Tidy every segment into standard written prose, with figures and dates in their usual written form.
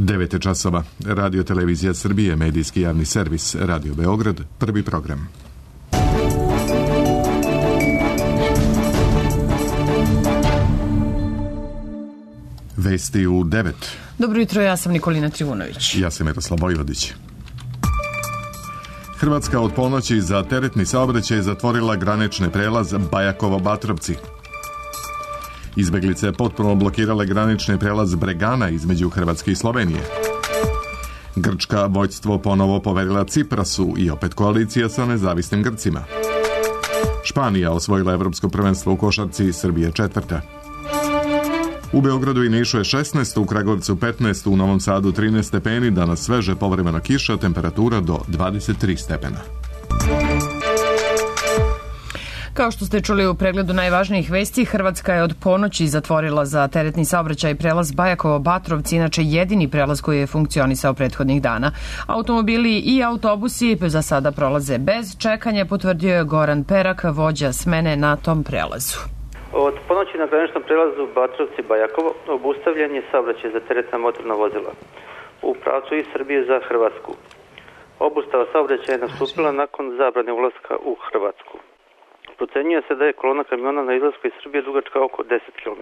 9 časova. Radio Televizija Srbije, medijski javni servis, Radio Beograd, prvi program. Vesti u 9. Dobro jutro, ja sam Nikolina Trivunović. Ja sam Miroslav Vojvodić. Hrvatska od ponoći za teretni saobraćaj zatvorila granični prelaz Bajakovo-Batrovci. Izbeglice potpuno blokirale granični prelaz Bregana između Hrvatske i Slovenije. Grčka vođstvo ponovo poverila Ciprasu i opet koalicija sa nezavisnim Grcima. Španija osvojila evropsko prvenstvo u košarci, Srbije četvrta. U Beogradu i Nišu je 16, u Kragujevcu 15, u Novom Sadu 13 stepeni, danas sveže povremena kiša, temperatura do 23 stepena. Kao što ste čuli u pregledu najvažnijih vesti, Hrvatska je od ponoći zatvorila za teretni saobraćaj prelaz Bajakovo-Batrovci, inače jedini prelaz koji je funkcionisao prethodnih dana. Automobili i autobusi za sada prolaze bez čekanja, potvrdio je Goran Perak, vođa smene na tom prelazu. Od ponoći na graničnom prelazu Batrovci-Bajakovo obustavljen je saobraćaj za teretna motorna vozila u pravcu iz Srbije za Hrvatsku. Obustava saobraćaja je nastupila nakon zabrane ulaska u Hrvatsku. Procenjuje se da je kolona kamiona na izlasku iz Srbije dugačka oko 10 km.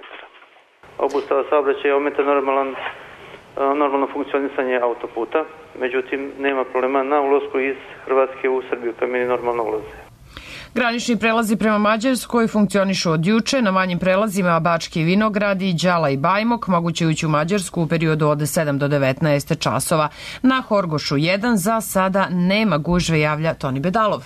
Obustava saobraćaja ometa normalno funkcionisanje autoputa, međutim nema problema na ulasku iz Hrvatske u Srbiju, kamioni normalno ulaze. Granični prelazi prema Mađarskoj funkcionišu od juče. Na manjim prelazima Bački Vinogradi, Đala i Bajmok moguće ući u Mađarsku u periodu od 7 do 19 časova. Na Horgošu 1 za sada nema gužve, javlja Toni Bedalov.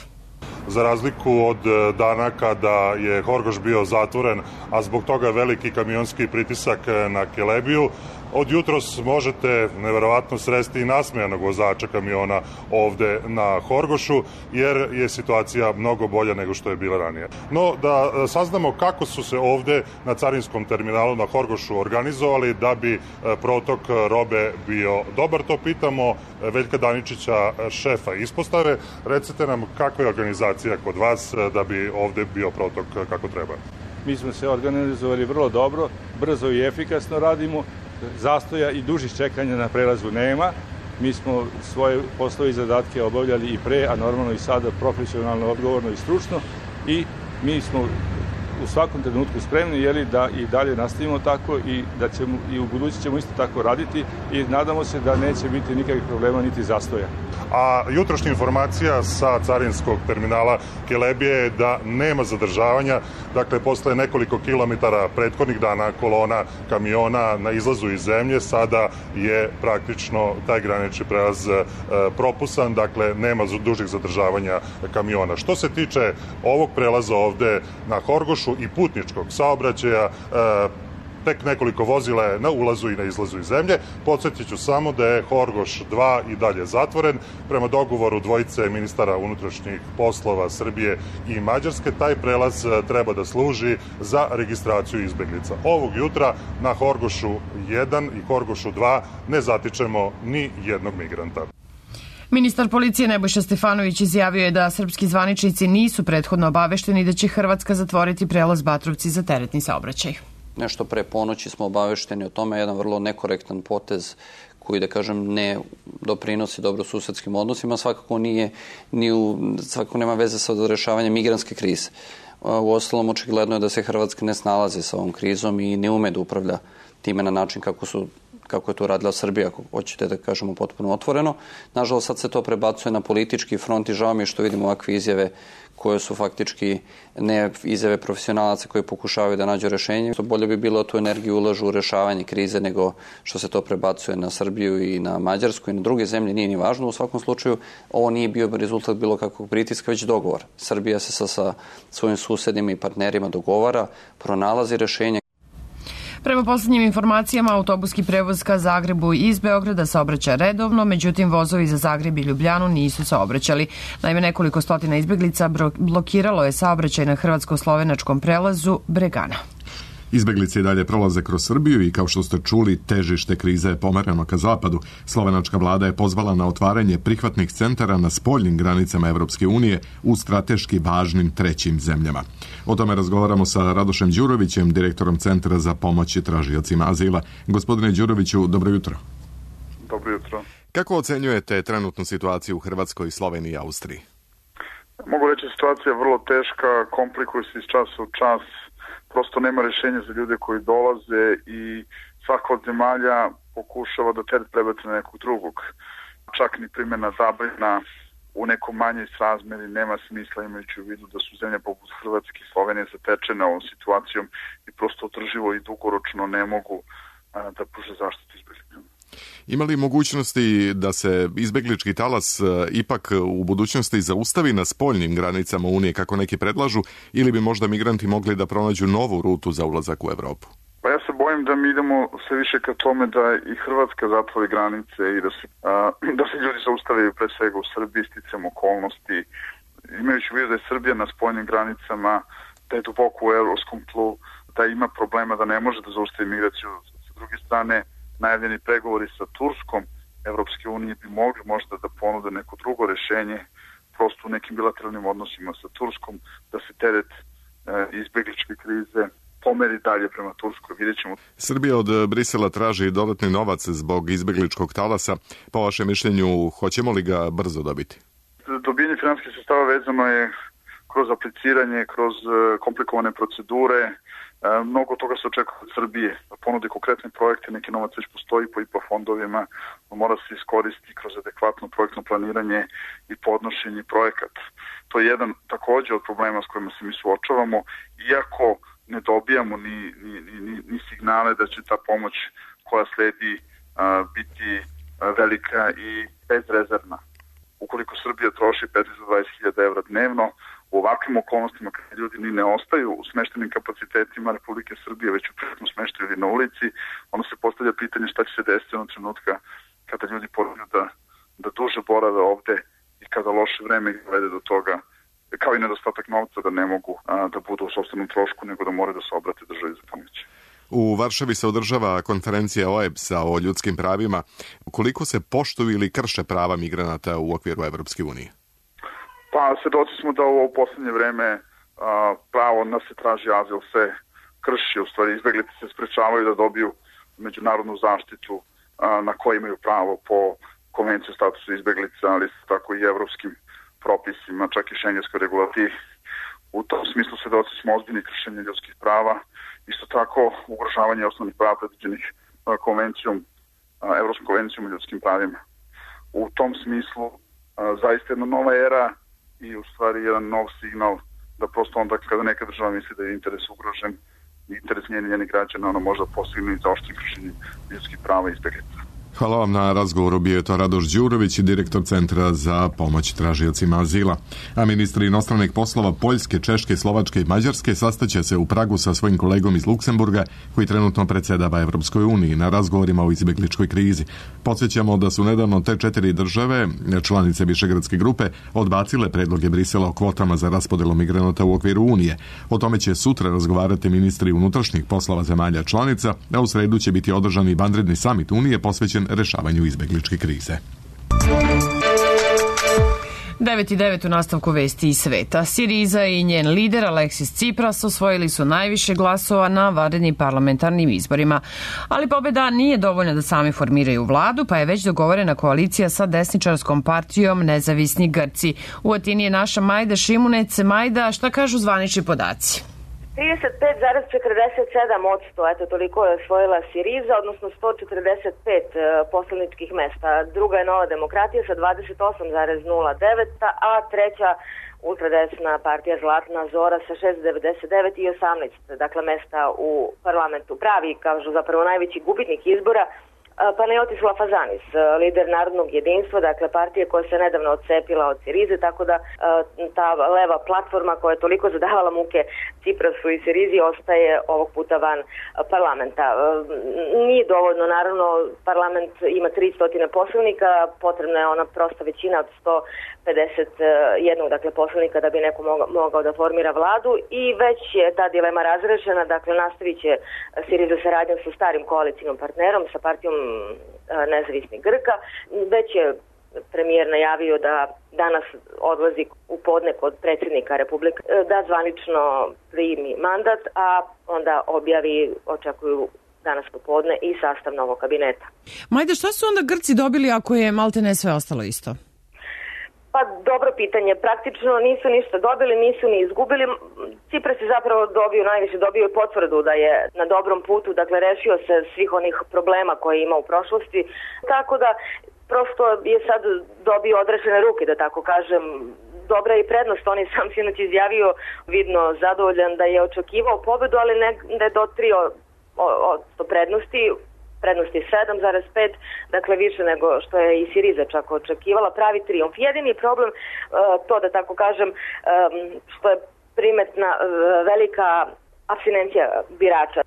Za razliku od dana kada je Horgoš bio zatvoren, a zbog toga veliki kamionski pritisak na Kelebiju, od jutros možete neverovatno sresti i nasmejanog vozača kamiona ovde na Horgošu, jer je situacija mnogo bolja nego što je bila ranije. No, da saznamo kako su se ovde na carinskom terminalu na Horgošu organizovali da bi protok robe bio dobar, to pitamo Veljka Daničića, šefa ispostave. Recite nam kakva je organizacija kod vas da bi ovde bio protok kako treba? Mi smo se organizovali vrlo dobro, brzo i efikasno radimo. Zastoja i dužih čekanja na prelazu nema. Mi smo svoje poslove i zadatke obavljali i pre, a normalno i sada profesionalno, odgovorno i stručno, i mi smo u svakom trenutku spremni da i dalje nastavimo tako i da ćemo i u budući ćemo isto tako raditi i nadamo se da neće biti nikakvih problema niti zastoja. A jutrošnja informacija sa carinskog terminala Kelebije je da nema zadržavanja, dakle posle nekoliko kilometara prethodnih dana kolona kamiona na izlazu iz zemlje, sada je praktično taj granični prelaz propusan, dakle nema dužih zadržavanja kamiona. Što se tiče ovog prelaza ovde na Horgošu i putničkog saobraćaja, tek nekoliko vozila je na ulazu i na izlazu iz zemlje. Podsjetit ću samo da je Horgoš 2 i dalje zatvoren. Prema dogovoru dvojice ministara unutrašnjih poslova Srbije i Mađarske, taj prelaz treba da služi za registraciju izbeglica. Ovog jutra na Horgošu 1 i Horgošu 2 ne zatičemo ni jednog migranta. Ministar policije Nebojša Stefanović izjavio je da srpski zvaničnici nisu prethodno obavešteni da će Hrvatska zatvoriti prelaz Batrovci za teretni saobraćaj. Nešto pre ponoći smo obavešteni o tome, jedan vrlo nekorektan potez koji, da kažem, ne doprinosi dobrosusedskim odnosima, svakako nema veze sa rešavanjem migrantske krize. Uostalom, očigledno je da se Hrvatska ne snalazi sa ovom krizom i ne ume da upravlja time na način kako je to radila Srbija, ako hoćete da kažemo potpuno otvoreno. Nažalost, sad se to prebacuje na politički front i žao mi je što vidimo ovakve izjave koje su faktički ne izjave profesionalaca koji pokušavaju da nađu rešenje. Bolje bi bilo da tu energiju ulažu u rešavanje krize nego što se to prebacuje na Srbiju i na Mađarsku i na druge zemlje, nije ni važno. U svakom slučaju, ovo nije bio rezultat bilo kakvog pritiska, već dogovor. Srbija se sa svojim susedima i partnerima dogovara, pronalazi rešenje. Prema poslednjim informacijama, autobuski prevoz ka Zagrebu iz Beograda saobraća redovno, međutim vozovi za Zagreb i Ljubljanu nisu saobraćali. Naime, nekoliko stotina izbeglica blokiralo je saobraćaj na hrvatsko-slovenačkom prelazu Bregana. Izbeglice i dalje prolaze kroz Srbiju i kao što ste čuli, težište krize je pomereno ka zapadu. Slovenačka vlada je pozvala na otvaranje prihvatnih centara na spoljnim granicama Evropske unije u strateški važnim trećim zemljama. O tome razgovaramo sa Radošem Đurovićem, direktorom Centra za pomoć tražiocima azila. Gospodine Đuroviću, dobro jutro. Dobro jutro. Kako ocenjujete trenutnu situaciju u Hrvatskoj, Sloveniji i Austriji? Mogu reći, situacija je vrlo teška, komplikuje se iz časa u čas, prosto nema rješenja za ljude koji dolaze i svaka od zemalja pokušava da teret prebaci na nekog drugog. Čak ni primjena zabrana u nekom manjoj srazmeri nema smisla, imajući u vidu da su zemlje poput Hrvatske i Slovenije zatečene ovom situacijom i prosto održivo i dugoročno ne mogu da pruže zaštitu izbjeglicama. Ima li mogućnosti da se izbeglički talas ipak u budućnosti zaustavi na spoljnim granicama Unije, kako neki predlažu, ili bi možda migranti mogli da pronađu novu rutu za ulazak u Evropu? Pa ja se bojim da mi idemo sve više ka tome da i Hrvatska zatvori granice i da se ljudi zaustavljaju pre svega u Srbiji sticam okolnosti. Imajući u vidu da je Srbija na spoljnim granicama, da je duboko u evropskom tlu, da ima problema da ne može da zaustavi migraciju. Sa druge strane, najavljeni pregovori sa Turskom Evropske unije bi mogli možda da ponude neko drugo rešenje, prosto u nekim bilateralnim odnosima sa Turskom, da se teret izbegličke krize pomeri dalje prema Turskoj. Vidjet ćemo. Srbija od Brisela traži dodatni novac zbog izbegličkog talasa. Po vašem mišljenju, hoćemo li ga brzo dobiti? Dobijanje finansijskih sredstava vezano je kroz apliciranje, kroz komplikovane procedure. Mnogo toga se očekuje od Srbije, da ponudi konkretne projekte, neki novac već postoji po IPA fondovima, mora se iskoristiti kroz adekvatno projektno planiranje i podnošenje projekata. To je jedan također od problema s kojima se mi suočavamo, iako ne dobijamo ni signale da će ta pomoć koja sledi biti velika i bezrezervna. Ukoliko Srbija troši 15-20.000 evra dnevno, u ovakvim okolnostima kada ljudi ni ne ostaju u smeštenim kapacitetima Republike Srbije, već u privatnom smeštaju ili na ulici, onda se postavlja pitanje šta će se desiti onog trenutka kada ljudi počnu da duže borave ovde i kada loše vreme dovede do toga, kao i nedostatak novca, da ne mogu da budu u sopstvenom trošku, nego da moraju da se obrate državi za pomoć. U Varšavi se održava konferencija OEBS-a o ljudskim pravima. Koliko se poštuju ili krše prava migranata u okviru Evropske unije? Pa, svedoci smo da u poslednje vreme pravo na se traži azil se krši, u stvari izbeglice se sprečavaju da dobiju međunarodnu zaštitu na koje imaju pravo po Konvenciji o statusu izbeglica, ali tako i evropskim propisima, čak i šengenskoj regulativi. U tom smislu svedoci smo ozbiljnih kršenja ljudskih prava, isto tako ugrožavanje osnovnih prava predviđenih Evropskom konvencijom o ljudskim pravima. U tom smislu zaista jedna nova era i u stvari jedan nov signal da prosto onda kada neka država misli da je interes ugrožen, interes njenih građana, ona možda postigne i zaoštri kršenje ljudskih prava i izbeglica. Hvala vam na razgovoru. Bio je to Radoš Đurović, direktor Centra za pomoć tražiocima azila. A ministri inostranih poslova Poljske, Češke, Slovačke i Mađarske sastaće se u Pragu sa svojim kolegom iz Luksemburga, koji trenutno predsjedava Evropskoj uniji, na razgovorima o izbegličkoj krizi. Podsjećamo da su nedavno te 4 države, članice Višegradske grupe, odbacile predloge Brisela o kvotama za raspodelu migranata u okviru Unije. O tome će sutra razgovarati ministri unutrašnjih poslova zemalja članica, a u sredu će biti održan i vanredni samit Unije posvećen rešavanju izbegličke krize. 9:09 u nastavku vesti iz sveta. Siriza i njen lider Aleksis Tsipras osvojili su najviše glasova na vanrednim parlamentarnim izborima. Ali pobjeda nije dovoljna da sami formiraju vladu, pa je već dogovorena koalicija sa desničarskom partijom Nezavisni Grci. U Atini je naša Majda Šimunec. Majda, šta kažu zvanični podaci? 35,47%, eto toliko je osvojila Siriza, odnosno 145 poslaničkih mesta. Druga je Nova demokratija sa 28,09, a treća ultradesna partija Zlatna Zora sa 6,99 i 18, dakle mesta u parlamentu. Pravi, kažu zapravo najveći gubitnik izbora, Panayotis Lafazanis, lider Narodnog jedinstva, dakle partije koja se nedavno odcepila od Sirize, tako da ta leva platforma koja je toliko zadavala muke Tsiprasu i Sirizi ostaje ovog puta van parlamenta. Nije dovoljno, naravno, parlament ima 300 poslanika, potrebna je ona prosta većina od 151, dakle, poslanika da bi neko mogao da formira vladu i već je ta dilema razrešena, dakle, nastavit će Siriza saradnjom sa starim koalicijnom partnerom, sa partijom Nezavisnih Grka. Već je premijer najavio da danas odlazi u podne kod predsjednika Republike, da zvanično primi mandat, a onda objavi, očekuju danas popodne i sastav novog kabineta. Majda, šta su onda Grci dobili ako je maltene sve ostalo isto? Pa dobro pitanje, praktično nisu ništa dobili, nisu ni izgubili. Cipras je zapravo najviše dobio potvrdu da je na dobrom putu, dakle rešio se svih onih problema koje je imao u prošlosti, tako da prosto je sad dobio odrešene ruke, da tako kažem. Dobra je i prednost, on je sam sinoć izjavio vidno zadovoljan da je očekivao pobedu, ali ne da je dotrio od prednosti. Prednost je 7,5, dakle više nego što je i Siriza čak očekivala, pravi trijumf. Jedini problem, to da tako kažem, što je primetna velika apstinencija birača.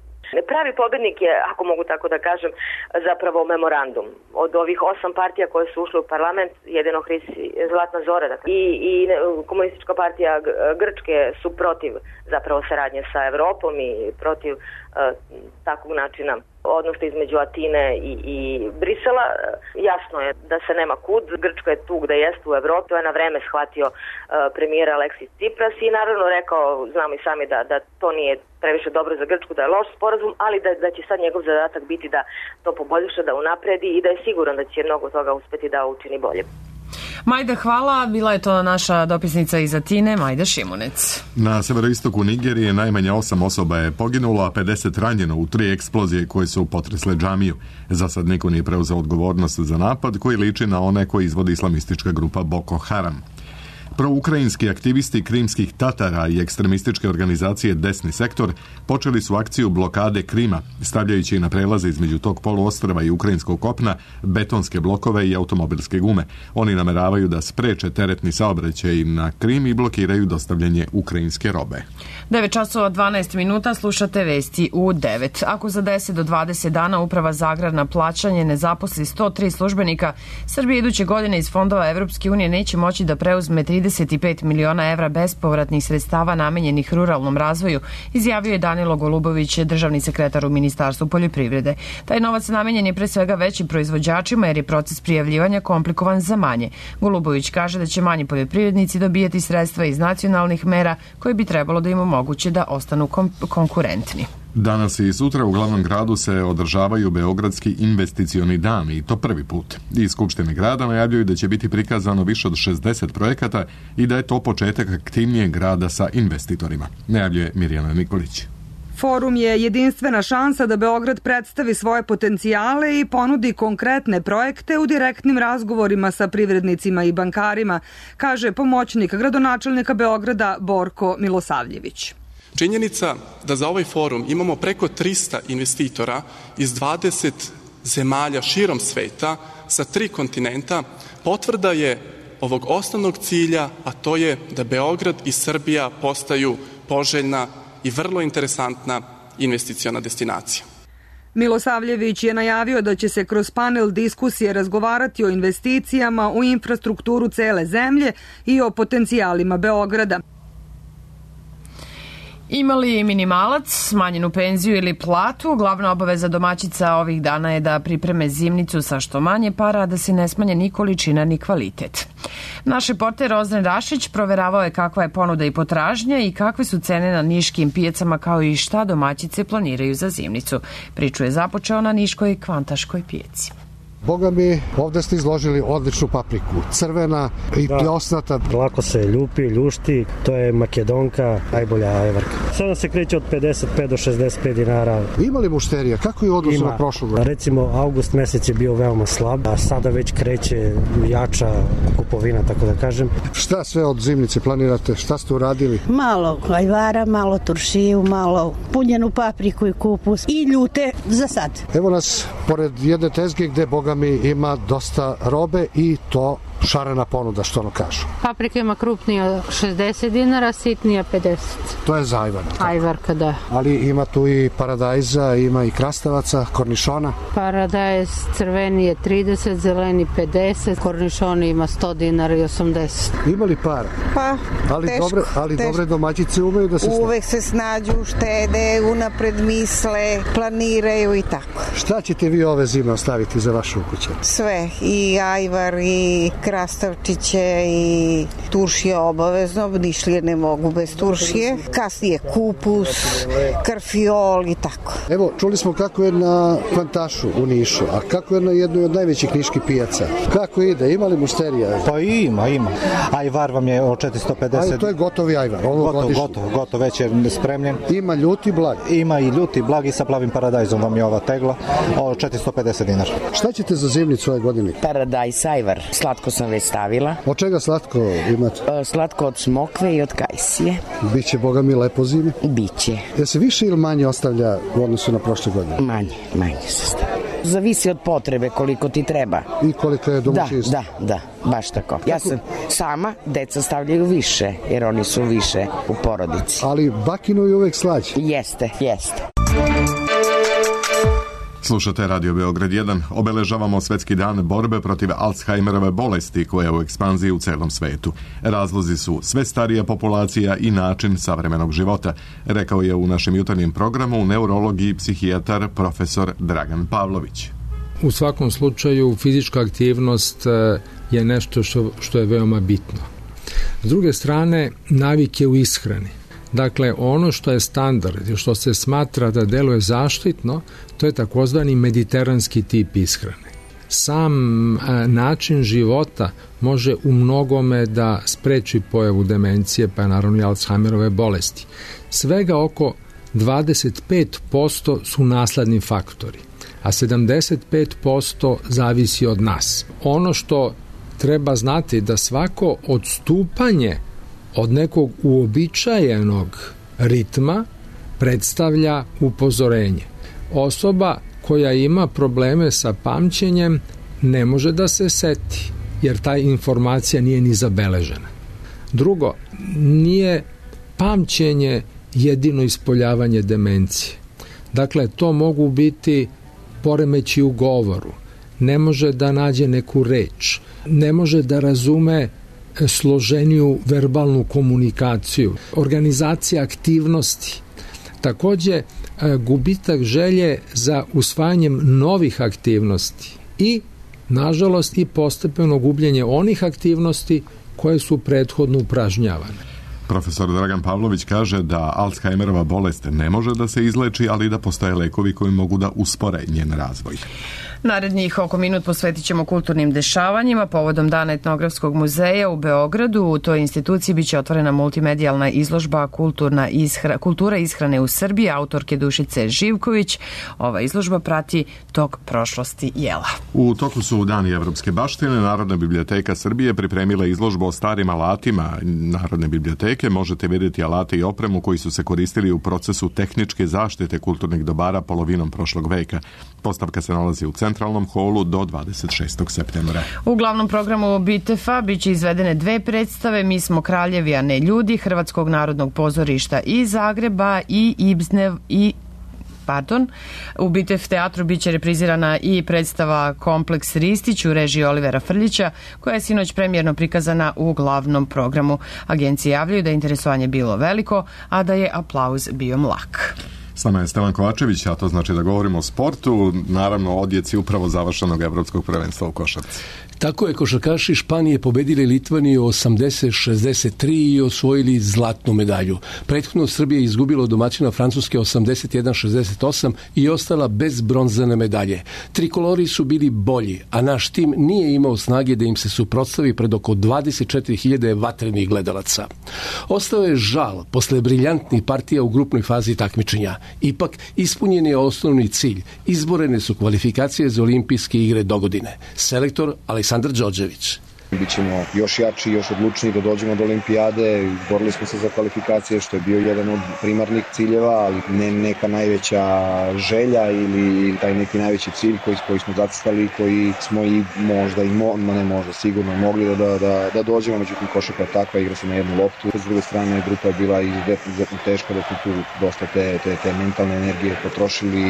Pravi pobednik je, ako mogu tako da kažem, zapravo memorandum. Od ovih 8 partija koje su ušle u parlament, jedino Zlatna Zora i Komunistička partija Grčke su protiv zapravo saradnje sa Evropom i protiv takvog načina odnosa između Atine i Brisela. Jasno je da se nema kud. Grčka je tu gde jeste u Evropi. To je na vreme shvatio premijer Aleksis Cipras i naravno rekao, znamo i sami da to nije previše dobro za Grčku, da je loš sporazum, ali da će sad njegov zadatak biti da to poboljša, da unapredi i da je siguran da će mnogo toga uspeti da učini bolje. Majda, hvala. Bila je to naša dopisnica iz Atine, Majda Šimunec. Na severoistoku Nigerije najmanje 8 osoba je poginulo, a 50 ranjeno u 3 eksplozije koje su potresle džamiju. Za sad niko nije preuzeo odgovornost za napad koji liči na one koje izvodi islamistička grupa Boko Haram. Proukrajinski aktivisti krimskih Tatara i ekstremističke organizacije Desni sektor počeli su akciju blokade Krima, stavljajući na prelaze između tog poluostrva i ukrajinskog kopna betonske blokove i automobilske gume. Oni nameravaju da spreče teretni saobraćaj na Krim i blokiraju dostavljanje ukrajinske robe. 9 časova 12 minuta, slušate vesti u 9. Ako za 10 do 20 dana Uprava za agrarna plaćanje ne zaposli 103 službenika, Srbija iduće godine iz fondova Evropske unije neće moći da preuzme 35 miliona evra bespovratnih sredstava namenjenih ruralnom razvoju, izjavio je Danilo Golubović, državni sekretar u Ministarstvu poljoprivrede. Taj novac namenjen je pre svega većim proizvođačima jer je proces prijavljivanja komplikovan za manje. Golubović kaže da će manji poljoprivrednici dobijati sredstva iz nacionalnih mera koje bi trebalo da im omoguće da ostanu konkurentni. Danas i sutra u glavnom gradu se održavaju Beogradski investicioni dani i to prvi put. Iz Skupštine grada najavljuju da će biti prikazano više od 60 projekata i da je to početak aktivnijeg rada sa investitorima, najavljuje Mirjana Nikolić. Forum je jedinstvena šansa da Beograd predstavi svoje potencijale i ponudi konkretne projekte u direktnim razgovorima sa privrednicima i bankarima, kaže pomoćnik gradonačelnika Beograda Borko Milosavljević. Činjenica da za ovaj forum imamo preko 300 investitora iz 20 zemalja širom sveta sa 3 kontinenta potvrda je ovog osnovnog cilja, a to je da Beograd i Srbija postaju poželjna i vrlo interesantna investiciona destinacija. Milosavljević je najavio da će se kroz panel diskusije razgovarati o investicijama u infrastrukturu cele zemlje i o potencijalima Beograda. Imali minimalac, smanjenu penziju ili platu, glavna obaveza domaćica ovih dana je da pripreme zimnicu sa što manje para, a da se ne smanje ni količina ni kvalitet. Naš reporter Ozren Rašić proveravao je kakva je ponuda i potražnja i kakve su cene na niškim pijacama, kao i šta domaćice planiraju za zimnicu. Priču je započeo na niškoj Kvantaškoj pijaci. Boga mi, ovde ste izložili odličnu papriku, crvena i pljosnata. Lako se ljupi, ljušti, to je makedonka, najbolja ajvarka. Sada se kreće od 55 do 65 dinara. Ima li mušterija? Kako je u odnosu na prošlu godinu? Recimo, avgust mesec je bio veoma slab, a sada već kreće jača kupovina, tako da kažem. Šta sve od zimnice planirate? Šta ste uradili? Malo ajvara, malo turšiju, malo punjenu papriku i kupus i ljute za sad. Evo nas pored jedne tezge gde Boga mi ima dosta robe i to šarena ponuda, što ono kažu. Paprika ima krupnija 60 dinara, sitnija 50. To je za ajvara. Ajvarka, da. Ali ima tu i paradajza, ima i krastavaca, kornišona. Paradajz crveni je 30, zeleni 50, kornišoni ima 100 dinara i 80. Ima li para? Pa, ali dobre domaćice umeju da se snađu. Uvek se snađu, štede, unapred misle, planiraju i tako. Šta ćete vi ove zime ostaviti za vašu ukućenu? Sve, i ajvar, i krastavčiće i turšije obavezno, nišlije ne mogu bez turšije. Kasnije kupus, karfiol i tako. Evo, čuli smo kako je na Kvantašu u Nišu, a kako je na jednoj od najvećih niških pijaca. Kako ide? Ima li mušterija? Pa ima. Ajvar vam je o 450. Ali to je gotovi ajvar. Gotov, već je spremljen. Ima ljuti blag? Ima i ljuti blag i sa plavim paradajzom vam je ova tegla o 450 dinara. Šta ćete za zimnicu ove godine? Paradajz ajvar. Slatko sam već stavila. Od čega slatko imate? Slatko od smokve i od kajsije. Biće, boga mi, lepo zimi? Biće. Je se više ili manje ostavlja u odnosu na prošle godine? Manje se stavlja. Zavisi od potrebe koliko ti treba. I koliko je domaćinstvo? Da, baš tako. Ja sam sama, deca stavljaju više, jer oni su više u porodici. Ali bakinu je uvek slađe. Jeste. Slušate Radio Beograd 1. Obeležavamo Svetski dan borbe protiv Alzheimerove bolesti koja je u ekspanziji u celom svetu. Razlozi su sve starija populacija i način savremenog života, rekao je u našem jutarnjem programu neurolog i psihijatar profesor Dragan Pavlović. U svakom slučaju fizička aktivnost je nešto što je veoma bitno. S druge strane, navike u ishrani. Dakle, ono što je standard i što se smatra da deluje zaštitno, to je takozvani mediteranski tip ishrane. Sam način života može u mnogome da spreči pojavu demencije, pa naravno i Alzheimerove bolesti. Svega oko 25% su nasledni faktori, a 75% zavisi od nas. Ono što treba znati da svako odstupanje od nekog uobičajenog ritma predstavlja upozorenje. Osoba koja ima probleme sa pamćenjem ne može da se seti, jer ta informacija nije ni zabeležena. Drugo, nije pamćenje jedino ispoljavanje demencije. Dakle, to mogu biti poremeći u govoru, ne može da nađe neku reč, ne može da razume složeniju verbalnu komunikaciju, organizacija aktivnosti. Takođe, gubitak želje za usvajanjem novih aktivnosti i, nažalost, i postepeno gubljenje onih aktivnosti koje su prethodno upražnjavane. Profesor Dragan Pavlović kaže da Alzheimerova bolest ne može da se izleči, ali da postoje lekovi koji mogu da uspore njen razvoj. Narednih oko minut posvetit ćemo kulturnim dešavanjima. Povodom Dana etnografskog muzeja u Beogradu u toj instituciji biće otvorena multimedijalna izložba Kultura ishrane u Srbiji autorke Dušice Živković. Ova izložba prati tok prošlosti jela. U toku su Dani evropske baštine. Narodna biblioteka Srbije pripremila izložbu o starim alatima Narodne biblioteke. Možete vidjeti alate i opremu koji su se koristili u procesu tehničke zaštite kulturnih dobara polovinom prošlog veka. Postavka se nalazi u centralnom holu do 26. septembra. U glavnom programu BITEF-a biće izvedene dve predstave Mi smo kraljevi, a ne ljudi, Hrvatskog narodnog pozorišta iz Zagreba u BITEF teatru biće reprizirana i predstava Kompleks Ristić u režiji Olivera Frljića, koja je sinoć premijerno prikazana u glavnom programu. Agencije javljaju da je interesovanje bilo veliko, a da je aplauz bio mlak. S nama je Stevan Kovačević, a to znači da govorimo o sportu, naravno o odjeci upravo završenog evropskog prvenstva u košarci. Tako je, košarkaši Španije pobedili Litvaniju 80-63 i osvojili zlatnu medalju. Prethodno Srbija izgubila od domaćina Francuske 81-68 i ostala bez bronzane medalje. Trikolori su bili bolji, a naš tim nije imao snage da im se suprotstavi pred oko 24.000 vatrenih gledalaca. Ostao je žal posle briljantnih partija u grupnoj fazi takmičenja. Ipak, ispunjen je osnovni cilj. Izborene su kvalifikacije za olimpijske igre dogodine. Selektor Aleksandar Đorđević. Bićemo još jači, još odlučniji da dođemo do olimpijade. Izborili smo se za kvalifikacije, što je bio jedan od primarnih ciljeva, ali ne neka najveća želja ili taj neki najveći cilj koji smo zacrtali, koji smo i sigurno mogli da dođemo. Međutim, košarka je takva, igra se na jednu loptu. S druge strane, grupa je bila izuzetno teška, da smo tu dosta te mentalne energije potrošili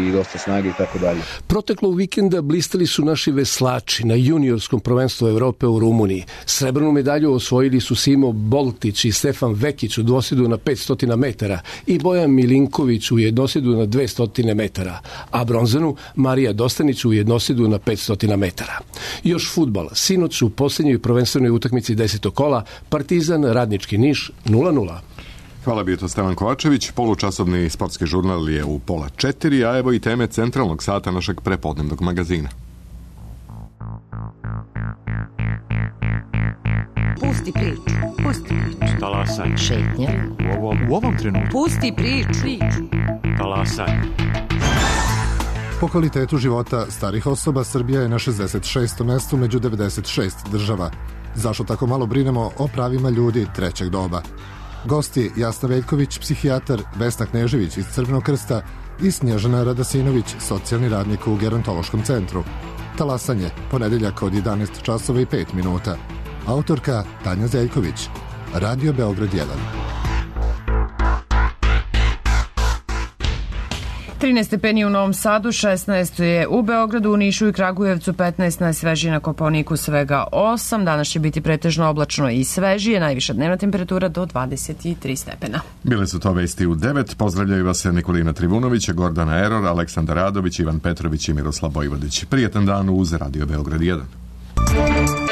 i dosta snage i tako dalje. Proteklog vikenda blistali su naši veslači na juniorskom prvenstvu Evrope Evrope u Rumuniji. Srebrnu medalju osvojili su Simo Boltić i Stefan Vekić u dvosjedu na 500 metara i Bojan Milinković u jednosjedu na 200 metara, a bronzanu Marija Dostanić u jednosjedu na 500 metara. Još fudbal. Sinoć u posljednjoj prvenstvenoj utakmici 10. kola Partizan Radnički Niš 0:0. Hvala, bio to Stevan Kovačević. Polučasovni sportski žurnal je u 3:30, a evo i teme centralnog sata našeg prepodnevnog magazina. Pusti priču. Pusti priču. Talasaj. Šetnja. U ovom trenutku. Pusti priču. Talasaj. Po kvalitetu života starih osoba Srbija je na 66. mestu među 96 država. Zašto tako malo brinemo o pravima ljudi trećeg doba? Gosti Jasna Veljković, psihijatar, Vesna Knežević iz Crvenog krsta i Snježana Radasinović, socijalni radnik u Gerontološkom centru. Talasanje, ponedeljak od 11:05. Autorka Tanja Zeljković. Radio Beograd 1. 13 stepeni u Novom Sadu, 16 je u Beogradu, u Nišu i Kragujevcu, 15 najsvežije, na Kopaoniku svega 8. Danas će biti pretežno oblačno i svežije, najviša dnevna temperatura do 23 stepena. Bile su to vesti u 9. Pozdravljaju vas Nikolina Trivunović, Gordana Eror, Aleksandar Radović, Ivan Petrović i Miroslav Vojvodić. Prijetan dan uz Radio Beograd 1.